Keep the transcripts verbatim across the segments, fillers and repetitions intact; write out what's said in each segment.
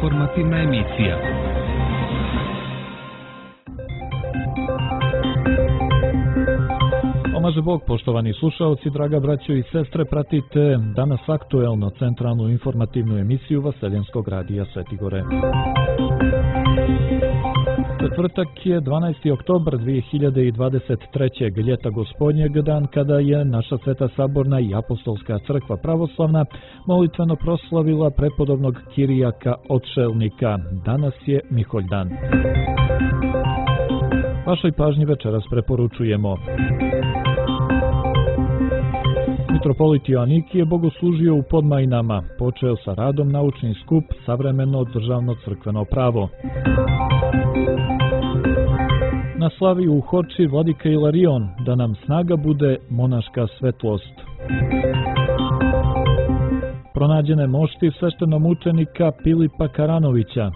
Informativna emisija. Pomaže Bog, poštovani slušaoci, draga braćo i sestre, pratite danas aktuelno centralnu informativnu emisiju Vaseljenskog radija Svetigore. Četvrtak je dvanaesti oktobar dvije hiljade dvadeset treće. ljeta gospodnjeg, dan kada je naša Sveta Saborna i Apostolska crkva pravoslavna molitveno proslavila prepodobnog Kirijaka Odšelnika. Danas je Miholjdan. Vašoj pažnji večeras preporučujemo. Mitropolit Joanikije bogoslužio u Podmajnama, počeo sa radom naučni skup Savremeno državno crkveno pravo. Na slavi u Hoči vladika Ilarion, da nam snaga bude monaška svetlost. Pronađene mošti sveštenomučenika Pilipa Karanovića.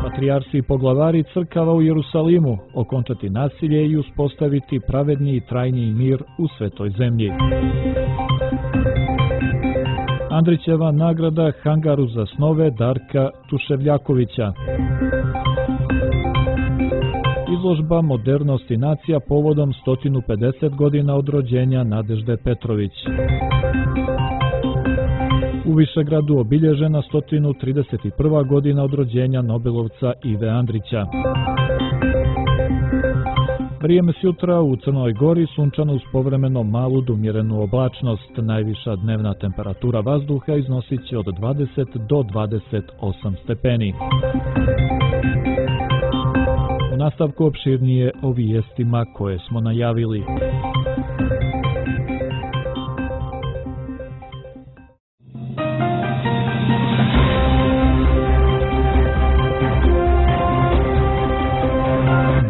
Patrijarsi i poglavari crkava u Jerusalimu, okončati nasilje i uspostaviti pravedni i trajni mir u svetoj zemlji. Andrićeva nagrada Hangaru za snove Darka Tuševljakovića. Izložba Modernost i nacija povodom sto pedeset godina od rođenja Nadežde Petrović. U Višegradu obilježena sto trideset prva godina od rođenja Nobelovca Ive Andrića. Vrijeme sutra u Crnoj Gori sunčano uz povremeno malu do umjerenu oblačnost. Najviša dnevna temperatura vazduha iznosit će od dvadeset do dvadeset osam stepeni. U nastavku opširnije o vijestima koje smo najavili.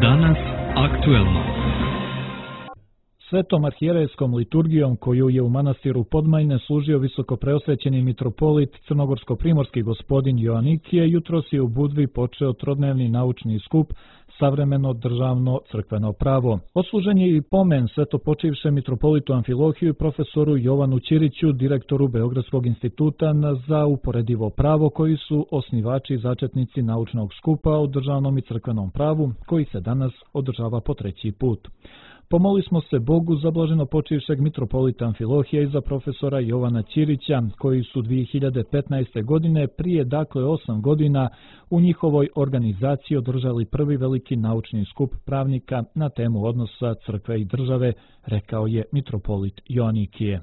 Danas aktuelno. Svetom arhijerejskom liturgijom koju je u manastiru Podmajne služio visokopreosvećeni mitropolit crnogorsko-primorski gospodin Joanikije, jutros je u Budvi počeo trodnevni naučni skup Savremeno državno crkveno pravo. Odslužen je i pomen svetopočivšem mitropolitu Amfilohiju i profesoru Jovanu Ćiriću, direktoru Beogradskog instituta za uporedivo pravo, koji su osnivači i začetnici naučnog skupa o državnom i crkvenom pravu, koji se danas održava po treći put. Pomoli smo se Bogu za blaženo počivšeg mitropolita Amfilohija i za profesora Jovana Ćirića, koji su dvije hiljade petnaeste. godine, prije dakle osam godina, u njihovoj organizaciji održali prvi veliki naučni skup pravnika na temu odnosa crkve i države, rekao je mitropolit Joanikije.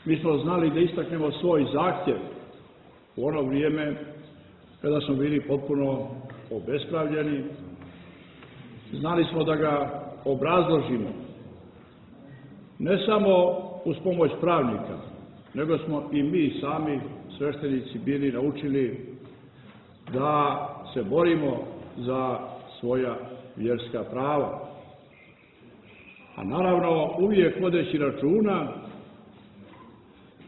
Mi smo znali da istaknemo svoj zahtjev u ono vrijeme kada smo bili potpuno obespravljeni. Znali smo da ga obrazložimo, ne samo uz pomoć pravnika, nego smo i mi sami sveštenici bili naučili da se borimo za svoja vjerska prava. A naravno uvijek vodeći računa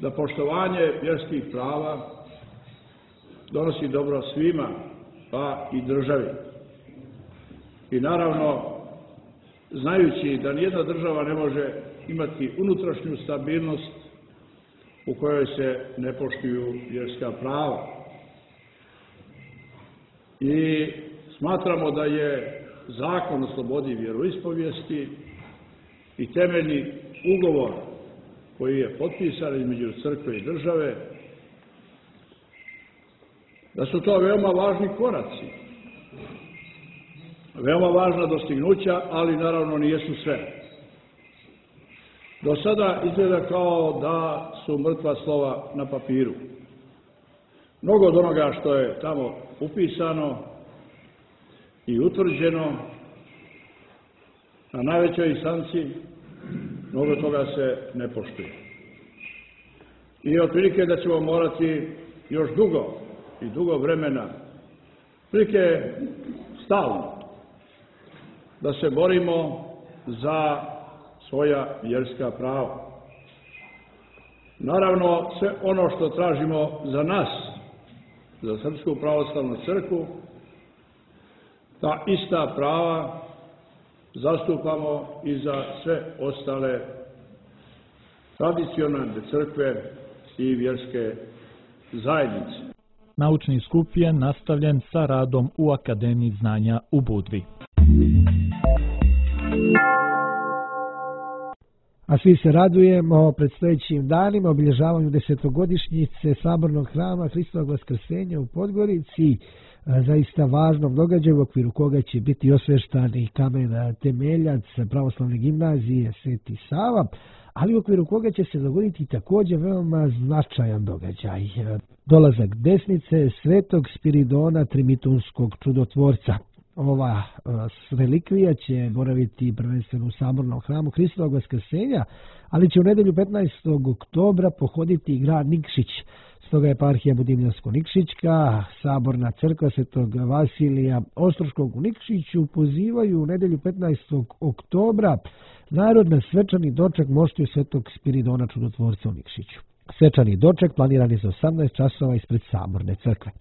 da poštovanje vjerskih prava donosi dobro svima, pa i državi. I naravno, znajući da nijedna država ne može imati unutrašnju stabilnost u kojoj se ne poštuju vjerska prava. I smatramo da je Zakon o slobodi vjeroispovijesti i temeljni ugovor koji je potpisan između crkve i države, da su to veoma važni koraci, veoma važna dostignuća, ali naravno nijesu sve. Do sada izgleda kao da su mrtva slova na papiru. Mnogo od onoga što je tamo upisano i utvrđeno na najvećoj instanci, mnogo toga se ne poštuje. I otprilike da ćemo morati još dugo i dugo vremena, otprilike stalno, da se borimo za svoja vjerska prava. Naravno, sve ono što tražimo za nas, za Srpsku pravoslavnu crkvu, ta ista prava zastupamo i za sve ostale tradicionalne crkve i vjerske zajednice. Naučni skup je nastavljen sa radom u Akademiji znanja u Budvi. A svi se radujemo predstojećim danima, obilježavanju desetogodišnjice Sabornog hrama Hristovog Vaskrsenja u Podgorici, zaista važnom događaju u okviru koga će biti osveštani kamen temeljac pravoslavne gimnazije Sveti Sava, ali u okviru koga će se dogoditi također veoma značajan događaj. Dolazak desnice Svetog Spiridona Trimitunskog čudotvorca. Ova relikvija će boraviti prvenstveno u Sabornom hramu Hristovog Vaskrsenja, ali će u nedelju petnaestog oktobra pohoditi grad Nikšić. Stoga je eparhija Budimljansko-Nikšićka, Saborna crkva Svetog Vasilija Ostroškog u Nikšiću pozivaju u nedelju petnaestog oktobra narod na svečani doček moštiju Svetog Spiridona čudotvorca u Nikšiću. Svečani doček planiran je za osamnaest časova ispred Saborne crkve.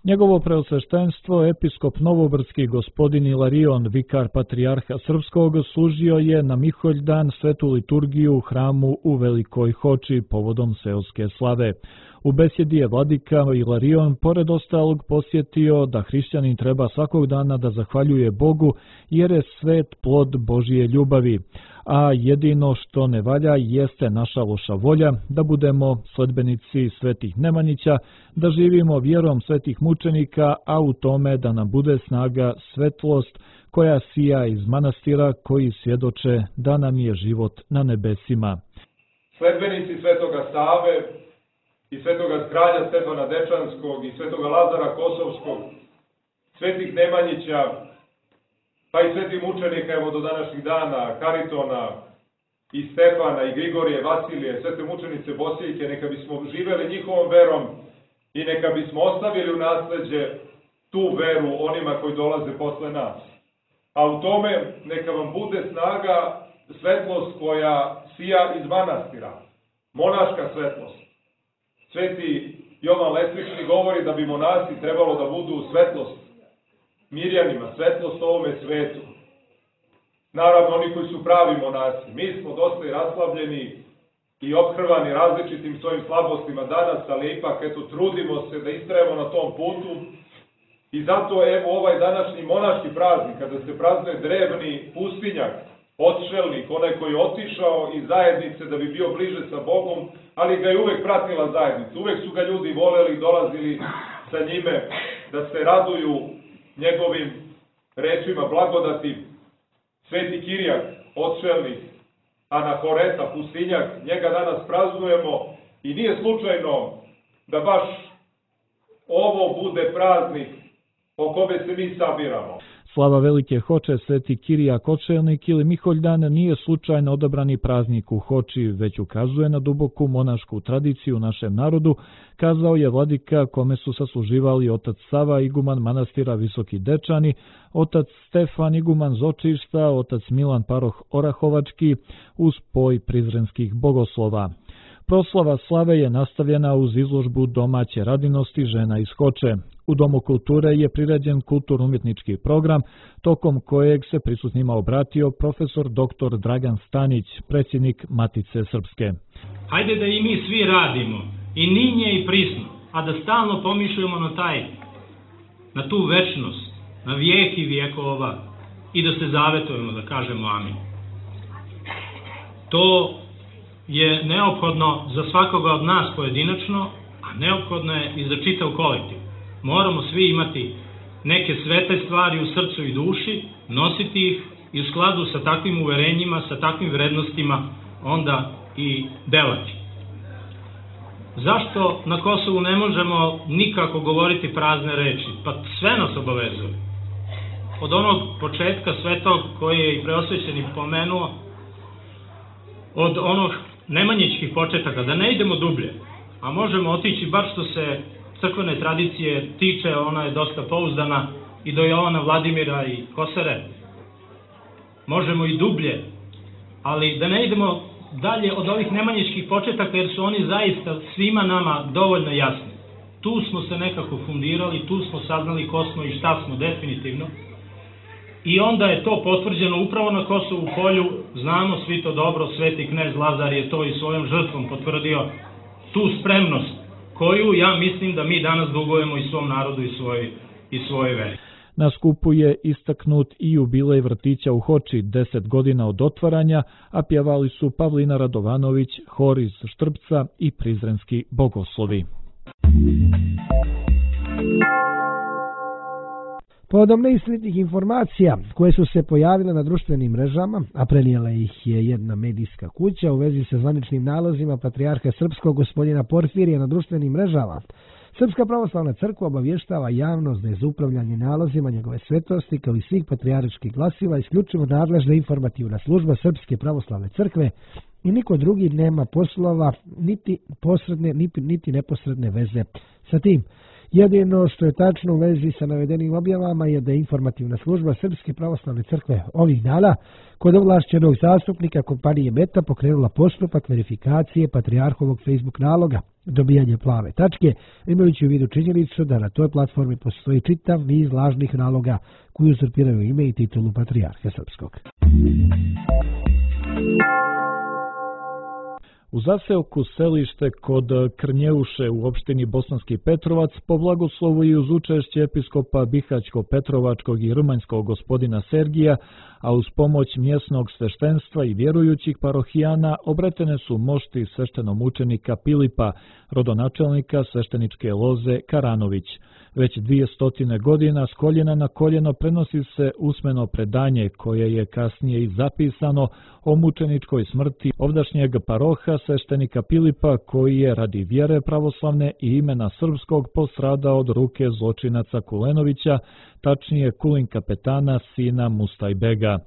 Njegovo preosveštenstvo, episkop Novobrdski gospodin Ilarion, vikar patrijarha Srpskog, služio je na Miholjdan svetu liturgiju u hramu u Velikoj Hoči povodom seoske slave. U besjedi je vladika Ilarion pored ostalog posjetio da hrišćanin treba svakog dana da zahvaljuje Bogu jer je svet plod Božije ljubavi, a jedino što ne valja jeste naša loša volja, da budemo sledbenici svetih Nemanjića, da živimo vjerom svetih mučenika, a u tome da nam bude snaga svetlost koja sija iz manastira koji svjedoče da nam je život na nebesima. Sledbenici svetoga Save i svetoga kralja Stefana Dečanskog i svetoga Lazara Kosovskog, svetih Nemanjića, pa i svetih mučenika evo do današnjih dana, Karitona i Stefana i Grigorije, Vasilije, svete mučenice Bosiljke, neka bismo živeli njihovom verom i neka bismo ostavili u nasleđe tu veru onima koji dolaze posle nas. A u tome neka vam bude snaga, svetlost koja sija iz manastira, monaška svetlost. Sveti Jovan Lesvični govori da bi monasi trebalo da budu svetlost Mirjanima, svetlost ovome svetu. Naravno, oni koji su pravi monasi. Mi smo dosta i raslavljeni i ophrvani različitim svojim slabostima danas, ali ipak, eto, trudimo se da istrajemo na tom putu. I zato, evo, ovaj današnji monaški praznik, kada se praznuje drevni pustinjak, odšelnik, onaj koji je otišao iz zajednice da bi bio bliže sa Bogom, ali ga je uvek pratila zajednica. Uvek su ga ljudi voleli, dolazili sa njime da se raduju njegovim rečima blagodati. Sveti Kirijak, odšelnik, Anahoreta, pustinjak, njega danas praznujemo i nije slučajno da baš ovo bude praznik po kome se mi sabiramo. Slava Velike Hoče, Sveti Kirijak Odšelnik ili Miholjdan nije slučajno odabrani praznik u Hoči, već ukazuje na duboku monašku tradiciju u našem narodu, kazao je vladika kome su sasluživali otac Sava, iguman manastira Visoki Dečani, otac Stefan, iguman Zočišta, otac Milan Paroh Orahovački, uz spoj prizrenskih bogoslova. Proslava slave je nastavljena uz izložbu domaće radinosti žena iz Hoče. U Domu kulture je priređen kulturno-umjetnički program, tokom kojeg se prisutnima obratio profesor doktor Dragan Stanić, predsjednik Matice Srpske. Hajde da i mi svi radimo, i ninje i prisno, a da stalno pomišljamo na taj, na tu večnost, na vijek i vijekova, i da se zavetujemo, da kažemo amin. To je neophodno za svakoga od nas pojedinačno, a neophodno je i za čitav kolektiv. Moramo svi imati neke svete stvari u srcu i duši, nositi ih i u skladu sa takvim uverenjima, sa takvim vrednostima, onda i delati. Zašto na Kosovu ne možemo nikako govoriti prazne reči? Pa sve nas obavezuje. Od onog početka svetog koji je i preosvećeni pomenuo, od onog nemanjičkih početaka, da ne idemo dublje, a možemo otići bar što se crkvene tradicije tiče, ona je dosta pouzdana, i do Jovana Vladimira i Kosere. Možemo i dublje, ali da ne idemo dalje od ovih nemanjičkih početaka, jer su oni zaista svima nama dovoljno jasni. Tu smo se nekako fundirali, tu smo saznali ko smo i šta smo definitivno. I onda je to potvrđeno upravo na Kosovu polju, znamo svi to dobro, sveti knez Lazar je to i svojom žrtvom potvrdio, tu spremnost koju ja mislim da mi danas dugujemo i svom narodu i svoj, i svoje veri. Na skupu je istaknut i jubilej vrtića u Hoči, deset godina od otvaranja, a pjevali su Pavlina Radovanović, hor iz Štrpca i prizrenski bogoslovi. Povodom neistinitih informacija koje su se pojavile na društvenim mrežama, a prenijela ih je jedna medijska kuća u vezi sa zvaničnim nalozima patrijarha srpskog gospodina Porfirija na društvenim mrežama, Srpska pravoslavna crkva obavještava javnost da je za upravljanje nalozima njegove svetosti kao i svih patrijarških glasila isključivo nadležna informativna služba Srpske pravoslavne crkve i niko drugi nema poslova niti posredne niti, niti neposredne veze sa tim. Jedino što je tačno u vezi sa navedenim objavama je da je informativna služba Srpske pravoslavne crkve ovih dana kod ovlašćenog zastupnika kompanije Meta pokrenula postupak verifikacije patrijarhovog Facebook naloga, dobijanje plave tačke, imajući u vidu činjenicu da na toj platformi postoji čitav niz lažnih naloga koji uzurpiraju ime i titulu patrijarha srpskog. U zaseoku selište kod Krnjeuše u opštini Bosanski Petrovac po blagoslovu i uz učešće episkopa Bihaćko-Petrovačkog i Rumanjskog gospodina Sergija, a uz pomoć mjesnog sveštenstva i vjerujućih parohijana obretene su mošti sveštenomučenika Pilipa, rodonačelnika svešteničke loze Karanović. Već dvije stotine godina s koljena na koljeno prenosi se usmeno predanje koje je kasnije i zapisano o mučeničkoj smrti ovdašnjeg paroha sveštenika Pilipa koji je radi vjere pravoslavne i imena srpskog postradao od ruke zločinaca Kulenovića, tačnije Kulin kapetana sina Mustajbega.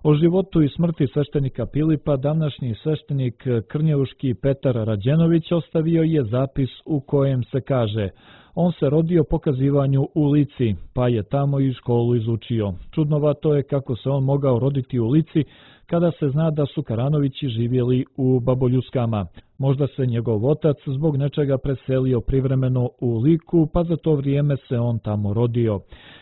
O životu i smrti sveštenika Pilipa današnji sveštenik krnjeuški Petar Rađenović ostavio je zapis u kojem se kaže: on se rodio po kazivanju u Lici, pa je tamo i školu izučio. Čudnovato je kako se on mogao roditi u Lici kada se zna da su Karanovići živjeli u Baboljuskama. Možda se njegov otac zbog nečega preselio privremeno u Liku, pa za to vrijeme se on tamo rodio.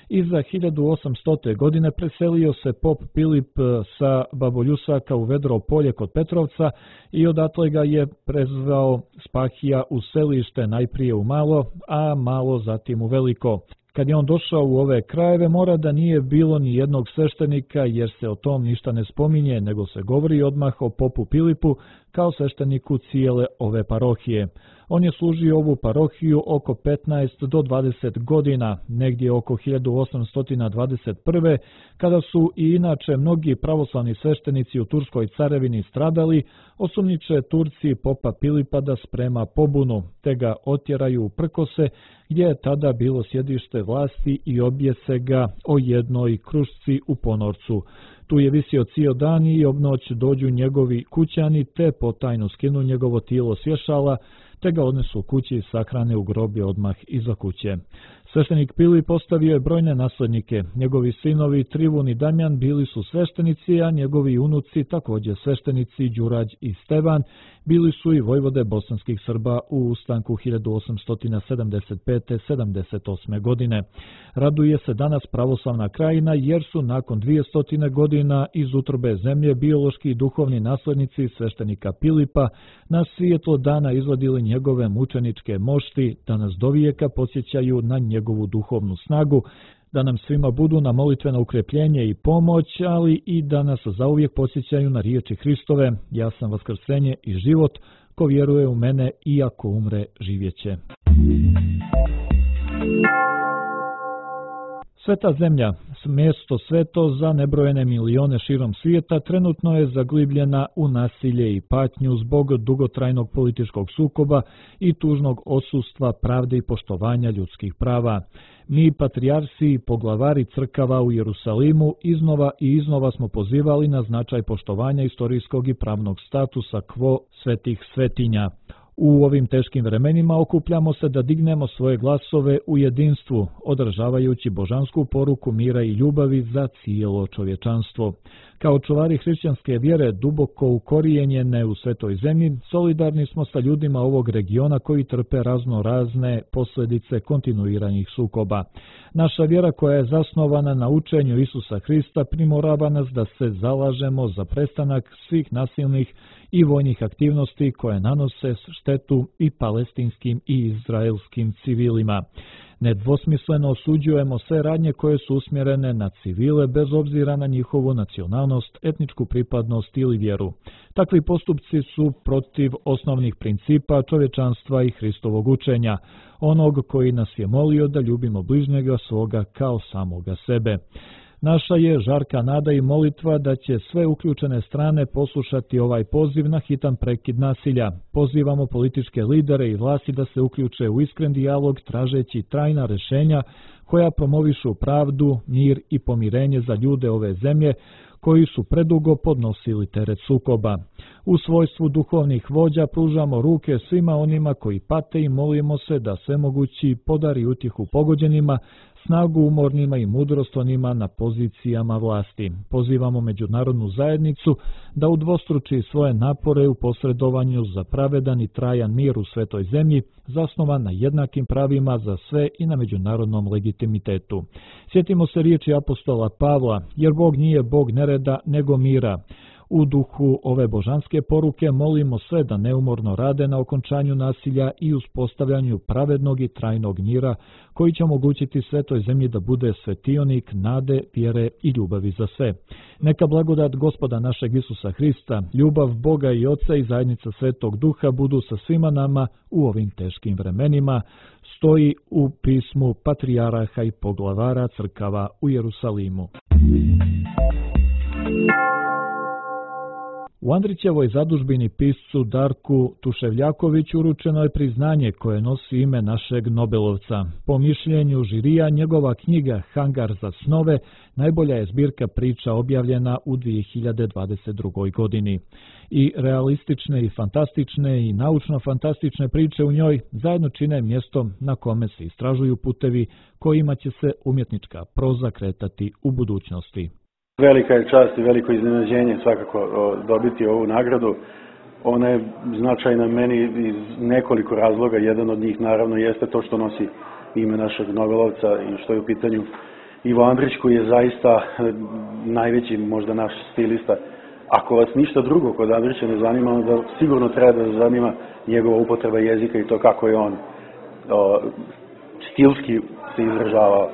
Iza hiljadu osamstote. godine preselio se pop Pilip sa Baboljusaka u Vedro polje kod Petrovca i odatle ga je prezvao Spahija u selište, najprije u Malo, a Malo zatim u Veliko. Kad je on došao u ove krajeve, mora da nije bilo ni jednog sveštenika, jer se o tom ništa ne spominje, nego se govori odmah o popu Pilipu kao svešteniku cijele ove parohije. On je služio ovu parohiju oko petnaest do dvadeset godina, negdje oko hiljadu osamsto dvadeset prve. kada su i inače mnogi pravoslavni sveštenici u Turskoj carevini stradali, osumnjiče Turci popa Pilipa da sprema pobunu, te ga otjeraju u Prkose, gdje je tada bilo sjedište vlasti i objese ga o jednoj krušci u ponorcu. Tu je visio cijel dan i obnoć dođu njegovi kućani te potajno skinu njegovo tijelo s vješala, te ga odnesu u kući i sahrane u grobi odmah iza kuće. Sveštenik Pilip postavio je brojne naslednike. Njegovi sinovi Trivun i Damjan bili su sveštenici, a njegovi unuci, također sveštenici Đurađ i Stevan, bili su i vojvode bosanskih Srba u ustanku hiljadu osamsto sedamdeset pete sedamdeset osme. godine. Raduje se danas pravoslavna krajina jer su nakon dvije stotine godina iz utrobe zemlje biološki i duhovni naslednici sveštenika Pilipa na svijetlo dana izvadili njegove mučeničke mošti da nas dovijeka podsjećaju na njegovu duhovnu snagu, da nam svima budu na molitveno ukrepljenje i pomoć, ali i da nas zauvijek podsjećaju na riječi Hristove: ja sam vaskrsenje i život, ko vjeruje u mene i ako umre živjeće. Sveta zemlja, mjesto sveto za nebrojene milione širom svijeta, trenutno je zaglibljena u nasilje i patnju zbog dugotrajnog političkog sukoba i tužnog odsustva pravde i poštovanja ljudskih prava. Mi, patrijarsi i poglavari crkava u Jerusalimu, iznova i iznova smo pozivali na značaj poštovanja istorijskog i pravnog statusa quo svetih svetinja. U ovim teškim vremenima okupljamo se da dignemo svoje glasove u jedinstvu, održavajući božansku poruku mira i ljubavi za cijelo čovječanstvo. Kao čuvari hrišćanske vjere duboko ukorijenjene u svetoj zemlji, solidarni smo sa ljudima ovog regiona koji trpe razno razne posljedice kontinuiranih sukoba. Naša vjera koja je zasnovana na učenju Isusa Hrista primorava nas da se zalažemo za prestanak svih nasilnih i vojnih aktivnosti koje nanose štetu i palestinskim i izraelskim civilima. Nedvosmisleno osuđujemo sve radnje koje su usmjerene na civile bez obzira na njihovu nacionalnost, etničku pripadnost ili vjeru. Takvi postupci su protiv osnovnih principa čovječanstva i Hristovog učenja, onog koji nas je molio da ljubimo bližnjega svoga kao samoga sebe. Naša je žarka nada i molitva da će sve uključene strane poslušati ovaj poziv na hitan prekid nasilja. Pozivamo političke lidere i vlasti da se uključe u iskren dijalog tražeći trajna rješenja koja promovišu pravdu, mir i pomirenje za ljude ove zemlje koji su predugo podnosili teret sukoba. U svojstvu duhovnih vođa pružamo ruke svima onima koji pate i molimo se da svemogući podari utjehu pogođenima, snagu umornima i mudrost onima na pozicijama vlasti. Pozivamo međunarodnu zajednicu da udvostruči svoje napore u posredovanju za pravedan i trajan mir u svetoj zemlji, zasnovan na jednakim pravima za sve i na međunarodnom legitimitetu. Sjetimo se riječi apostola Pavla, jer Bog nije Bog nereda, nego mira. U duhu ove božanske poruke molimo sve da neumorno rade na okončanju nasilja i uspostavljanju pravednog i trajnog mira koji će omogućiti svetoj zemlji da bude svetionik nade, vjere i ljubavi za sve. Neka blagodat Gospoda našeg Isusa Hrista, ljubav Boga i Oca i zajednica Svetog Duha budu sa svima nama u ovim teškim vremenima, stoji u pismu patrijaraha i poglavara crkava u Jerusalimu. U Andrićevoj zadužbini piscu Darku Tuševljakoviću uručeno je priznanje koje nosi ime našeg Nobelovca. Po mišljenju žirija, njegova knjiga Hangar za snove najbolja je zbirka priča objavljena u dvije hiljade dvadeset drugoj. godini. I realistične i fantastične i naučno-fantastične priče u njoj zajedno čine mjesto na kome se istražuju putevi kojima će se umjetnička proza kretati u budućnosti. Velika je čast i veliko iznenađenje svakako dobiti ovu nagradu. Ona je značajna meni iz nekoliko razloga. Jedan od njih naravno jeste to što nosi ime našeg Nobelovca i što je u pitanju Ivo Andrić, koji je zaista najveći možda naš stilista. Ako vas ništa drugo kod Andrića ne zanima, onda sigurno treba da zanima njegova upotreba jezika i to kako je on o, stilski se izražavao.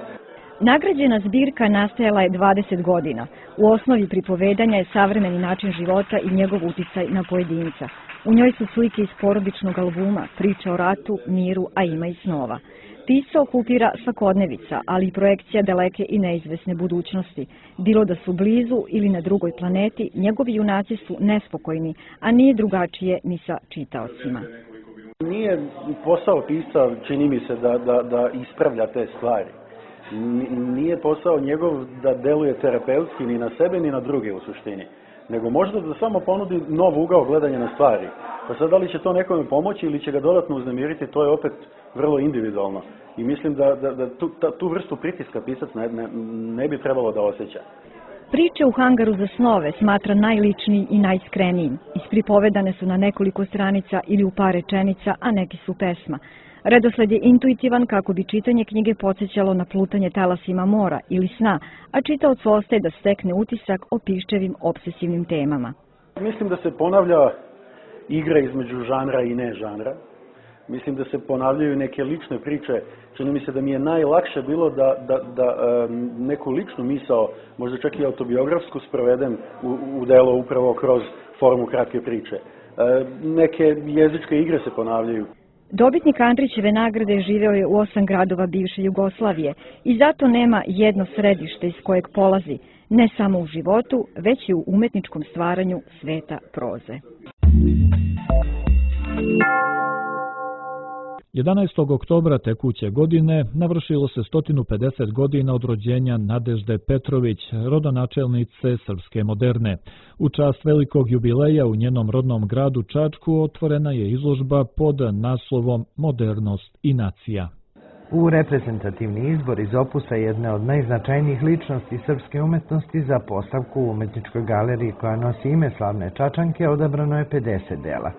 Nagrađena zbirka nastajala je dvadeset godina. U osnovi pripovedanja je savremeni način života i njegov uticaj na pojedinca. U njoj su slike iz porodičnog albuma, priče o ratu, miru, a ima i snova. Pisao okupira svakodnevica, ali i projekcija daleke i neizvesne budućnosti. Bilo da su blizu ili na drugoj planeti, njegovi junaci su nespokojni, a nije drugačije ni sa čitaocima. Nije posao pisca, čini mi se, da, da, da ispravlja te stvari. Nije posao njegov da deluje terapeutski ni na sebe ni na druge u suštini, nego možda da samo ponudi nov ugao gledanja na stvari. Pa sad da li će to nekome pomoći ili će ga dodatno uznemiriti, to je opet vrlo individualno. I mislim da, da, da tu, ta, tu vrstu pritiska pisac ne, ne, ne bi trebalo da osjeća. Priče u Hangaru za snove smatra najličniji i najiskrenijim. Ispripovedane su na nekoliko stranica ili u par rečenica, a neki su pesma. Redosled je intuitivan kako bi čitanje knjige podsjećalo na plutanje talasima mora ili sna, a čitaoc ostaje da stekne utisak o piščevim obsesivnim temama. Mislim da se ponavlja igra između žanra i ne žanra. Mislim da se ponavljaju neke lične priče. Čini mi se da mi je najlakše bilo da, da, da neku ličnu misao, možda čak i autobiografsku, sprovedem u, u delo upravo kroz formu kratke priče. Neke jezičke igre se ponavljaju. Dobitnik Andrićeve nagrade živeo je u osam gradova bivše Jugoslavije i zato nema jedno središte iz kojeg polazi, ne samo u životu, već i u umetničkom stvaranju sveta proze. jedanaestog oktobra tekuće godine navršilo se sto pedeset godina od rođenja Nadežde Petrović, rodonačelnice srpske moderne. U čast velikog jubileja u njenom rodnom gradu Čačku otvorena je izložba pod naslovom Modernost i nacija. U reprezentativni izbor iz opusa jedne od najznačajnijih ličnosti srpske umetnosti za postavku u umetničkoj galeriji koja nosi ime slavne Čačanke odabrano je pedeset dela.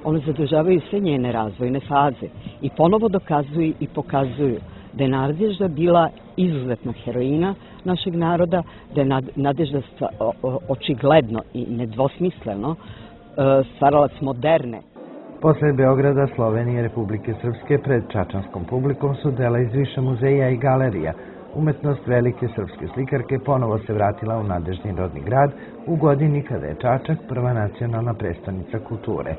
One zadržavaju sve njene razvojne faze i ponovo dokazuju i pokazuju da je Nadežda bila izuzetna heroina našeg naroda, da je Nadežda očigledno i nedvosmisleno stvaralac moderne. Posle Beograda, Slovenije i Republike Srpske pred čačanskom publikom su dela iz više muzeja i galerija. Umetnost velike srpske slikarke ponovo se vratila u Nadeždin rodni grad u godini kada je Čačak prva nacionalna prestonica kulture.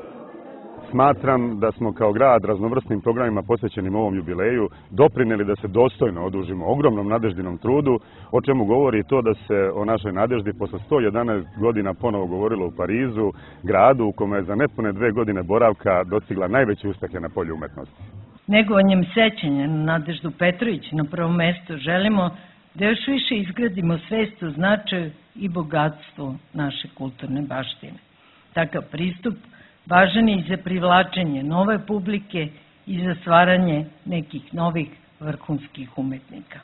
Smatram da smo kao grad raznovrsnim programima posvećenim ovom jubileju doprineli da se dostojno odužimo ogromnom Nadeždinom trudu, o čemu govori to da se o našoj Nadeždi posle sto jedanaest godina ponovo govorilo u Parizu, gradu u kome je za nepune dve godine boravka dostigla najveće uspehe na polju umetnosti. Negovanjem sećanja na Nadeždu Petrović na prvom mestu želimo da još više izgradimo svest o značaju i bogatstvu naše kulturne baštine. Takav pristup važan je i za privlačenje nove publike i za stvaranje nekih novih vrhunskih umetnika.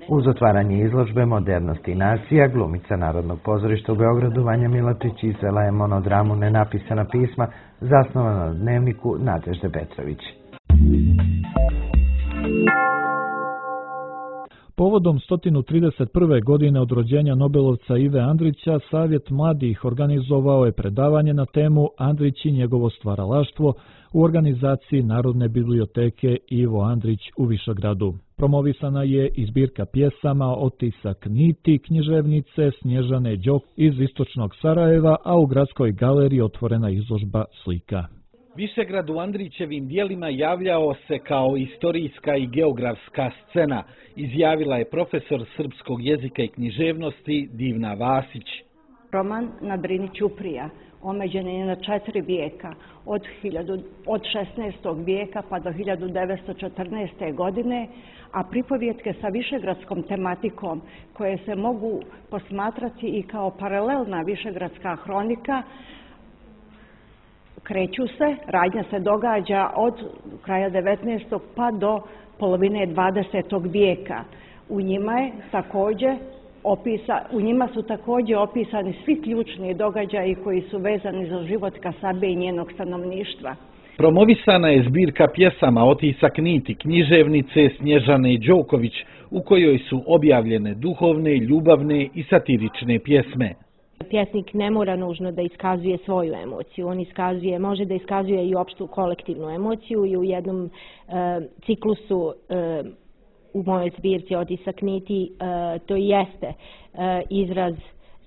Uz otvaranje izložbe Modernost i nacija, glumica Narodnog pozorišta u Beogradu Vanja Milačić izvela je monodramu Nenapisana pisma zasnovana na dnevniku Nadežde Petrović. Povodom sto trideset prve godine od rođenja Nobelovca Ive Andrića, Savjet mladih organizovao je predavanje na temu Andrić i njegovo stvaralaštvo u organizaciji Narodne biblioteke Ivo Andrić u Višegradu. Promovisana je i zbirka pjesama Otisak niti književnice Snježane Đok iz istočnog Sarajeva, a u gradskoj galeriji otvorena izložba slika. Višegrad u Andrićevim dijelima javljao se kao istorijska i geografska scena, izjavila je profesor srpskog jezika i književnosti Divna Vasić. Roman na Drini Ćuprija omeđen je na četiri vijeka, od, od šesnaestog vijeka pa do hiljadu devetsto četrnaeste. godine, a pripovjetke sa višegradskom tematikom koje se mogu posmatrati i kao paralelna višegradska hronika, kreću se, radnja se događa od kraja devetnaestog pa do polovine dvadesetog vijeka. U njima je također opisa, u njima su također opisani svi ključni događaji koji su vezani za život Kasabe i njenog stanovništva. Promovisana je zbirka pjesama Otisak niti književnice Snježane Đoković, u kojoj su objavljene duhovne, ljubavne i satirične pjesme. Pjesnik ne mora nužno da iskazuje svoju emociju, on iskazuje, može da iskazuje i opštu kolektivnu emociju i u jednom e, ciklusu e, u mojoj zbirci Otisak niti e, to jeste e, izraz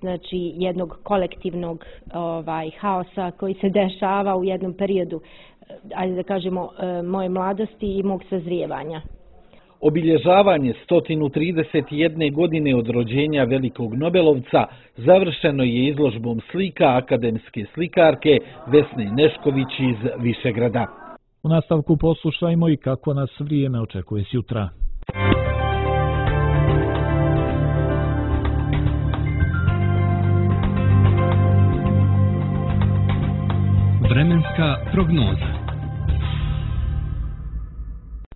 znači jednog kolektivnog ovaj haosa koji se dešava u jednom periodu, ajde da kažemo, e, moje mladosti i mog sazrijevanja. Obilježavanje sto trideset jedne. godine od rođenja velikog Nobelovca završeno je izložbom slika akademske slikarke Vesne Nešković iz Višegrada. U nastavku poslušajmo i kako nas vrijeme očekuje sutra. Vremenska prognoza.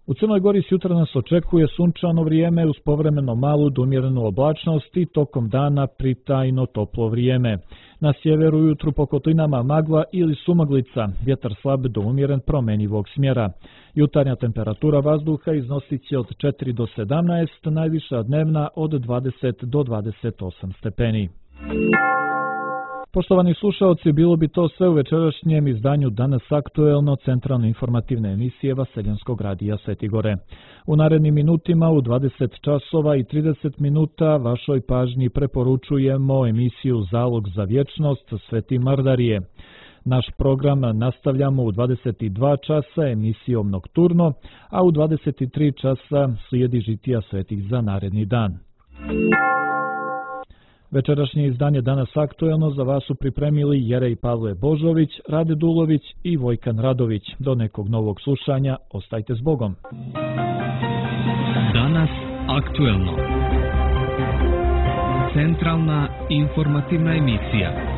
U Crnoj Gori sutra nas očekuje sunčano vrijeme uz povremeno malu do umjerenu oblačnost i tokom dana pritajno toplo vrijeme. Na sjeveru ujutru po kotlinama magla ili sumaglica, vjetar slab do umjeren promenjivog smjera. Jutarnja temperatura vazduha iznosit će od četiri do sedamnaest, najviša dnevna od dvadeset do dvadeset osam stepeni. Poštovani slušaoci, bilo bi to sve u večerašnjem izdanju Danas aktuelno centralne informativne emisije Vaseljanskog radija Svetigore. U narednim minutima u dvadeset časova i trideset minuta vašoj pažnji preporučujemo emisiju Zalog za vječnost Sveti Mardarije. Naš program nastavljamo u dvadeset dva časa emisijom Nokturno, a u dvadeset tri časa slijedi žitija svetih za naredni dan. Večerašnje izdanje Danas aktuelno za vas su pripremili Jerej Pavle Božović, Rade Dulović i Vojkan Radović. Do nekog novog slušanja, ostajte s Bogom. Danas aktuelno. Centralna informativna emisija.